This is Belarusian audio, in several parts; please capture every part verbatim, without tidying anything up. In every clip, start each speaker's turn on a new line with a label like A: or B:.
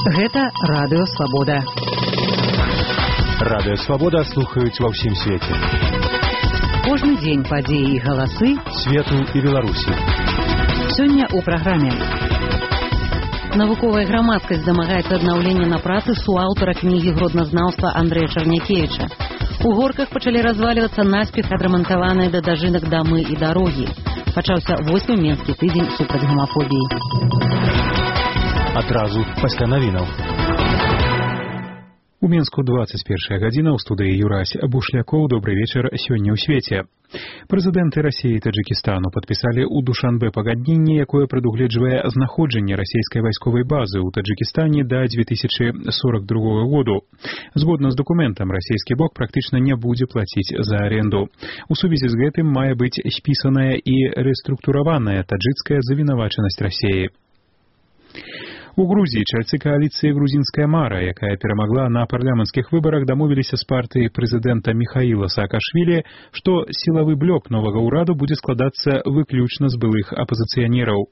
A: Гэта Радыё Свабода.
B: Радыё Свабода слухаюць ва ўсім свеце.
A: Кожны дзень падзеі і галасы
B: свету і Беларусі.
A: Сёння ў праграме. Навуковая грамадскасць дамагаецца аднаўлення на працы суаўтара кнігі гродназнаўства Андрэя Чарнякевіча. У горках пачалі развалівацца наспех адрамантаваныя да дажынак дамы і дарогі. Пачаўся восьмы менскі тыдзень супраць гамафобіі.
B: Адразу пасля навінаў. У Менску двадцать первая гадзіна, ў студыі Юрась Бушлякоў. Добрый вечар. Сёння ў свеце. Прэзідэнты Расіі і Таджыкістану падпісалі ў Душанбе пагадненне, якое прадугледжвае знаходжанне расійскай вайсковай базы ў Таджыкістане да две тысячи сорок другого году. Згодна з дакументам, расійскі бок практычна не будзе плаціць за аренду. У сувязі з гэтым мае быць спісаная і рэструктураваная таджыкская завінавачанасць Расіі. У Грузіі чальцы кааліцыі «Грузінская мара», якая перамагла на парламенцкіх выбарах, дамовіліся з партыяй прэзідэнта Міхаіла Саакашвілі, што сілавы блок новага ўраду будзе складацца выключна з былых апазіцыянераў.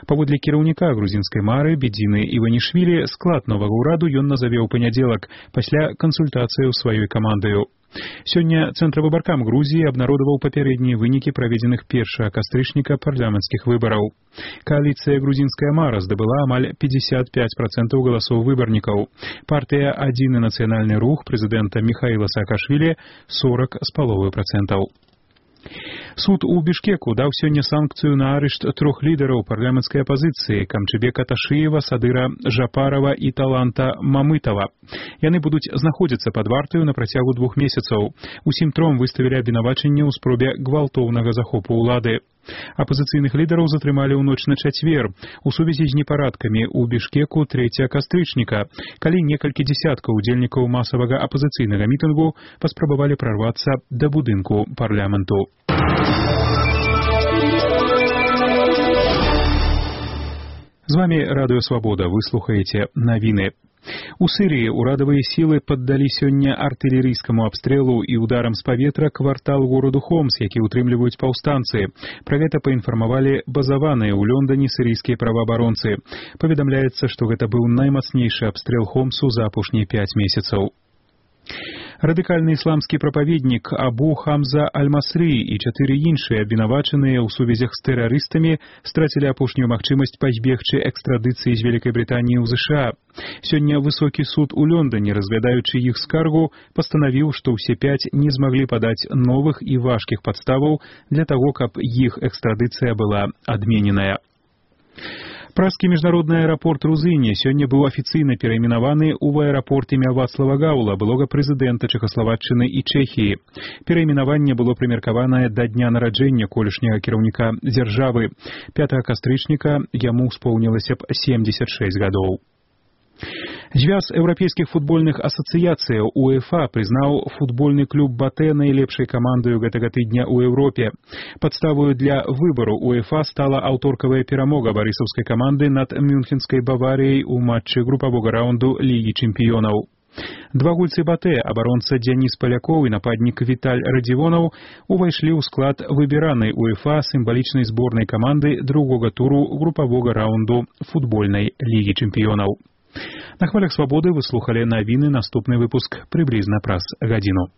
B: Паводле кіраўніка грузінскай мары Бедзіны Іванішвілі, склад новага ўраду ён назаве ў панядзелак пасля кансультацыяў сваёй камандаю. Сёння Цэнтравыбаркам Грузіі абнародаваў папярэднія вынікі праведзеных першага кастрычніка парламенцкіх выбараў. Кааліцыя «Грузінская мара» здабыла амаль пятьдесят пять процентов галасоў выбарнікаў. Партыя «Адзіны нацыянальны рух» прэзідэнта Міхаіла Саакашвілі сорок з паловай процентаў. Суд у Бішкеку даў сёння санкцыю на арышт трох лідараў парламенцкай апазіцыі Камчыбека Ташыева, Садыра Жапарова і Таланта Мамытова. Яны будуць знаходзіцца пад вартаю на працягу двух месяцаў. Усім тром выставілі абвінавачанне ў спробе гвалтоўнага захопу ўлады. Апазіцыйных лідараў затрымалі ў ноч на чацвер у сувязі з непарадкамі ў Бішкеку трэцяга кастрычніка, калі некалькі дзесяткаў удзельнікаў масавага апазіцыйнага мітынгу паспрабавалі прарвацца да будынку парламенту. З вами Радыё Свабода. Вы слухаеце навіны. У Сырыі ўрадавыя сілы паддалі сёння артылерыйскаму абстрэлу і ударам з паветра квартал гораду Хомс, які ўтрымліваюць паўстанцы. Пра гэта паінфармавалі базаваныя ў Лондоне сірыйскія праваабаронцы. Паведамляецца, што гэта быў наймацнейшы абстрэл Хомсу за апошнія пяць месяцаў. Радыкальны ісламскі прапаведнік Абу Хамза Аль-Масры і чатыры іншыя абвінавачаныя ў сувязях з тэрарыстамі страцілі апошнюю магчымасць пазбегчы экстрадыцыі з Вялікай Брытаніі ў ЗША. Сёння высокі суд у Лондоне, разглядаючы іх скаргу, пастанавіў, што ўсе пяць не змаглі падаць новых і важкіх падставаў для таго, каб іх экстрадыцыя была адмененая. Пражскі міжнародны аэрапорт Рузыне сёння быў афіцыйна перайменаваны ў аэрапорт імя Вацлава Гаўла, былога прэзідэнта Чэхаславаччыны і Чэхіі. Перайменаванне было прымеркаванае да дня нараджэння колішняга кіраўніка дзяржавы. пятага кастрычніка яму споўнілася б семьдесят шесть гадоў. Звяз еўрапейскіх футбольных асацыяцыяў УЕФА прызнаў футбольны клуб Батэ найлепшай камандаю гэтага тыдня ў Еўропе. Падставою для выбару УЕФА стала аўторкавая перамога барысаўскай каманды над мюнхенскай Баварыяй у матчы групавога раунду Лігі чэмпіёнаў. Два гульцы Батэ, абаронца Дзяніс Палякоў і нападнік Віталь Радзівонаў, увайшлі ў склад выбіранай УЕФА сімвалічнай зборнай каманды другога туру групавога раунду футбольнай Лігі чэмпіёнаў. На хвалях Свабоды вы слухалі навіны. Наступны выпуск прыблізна праз гадзіну.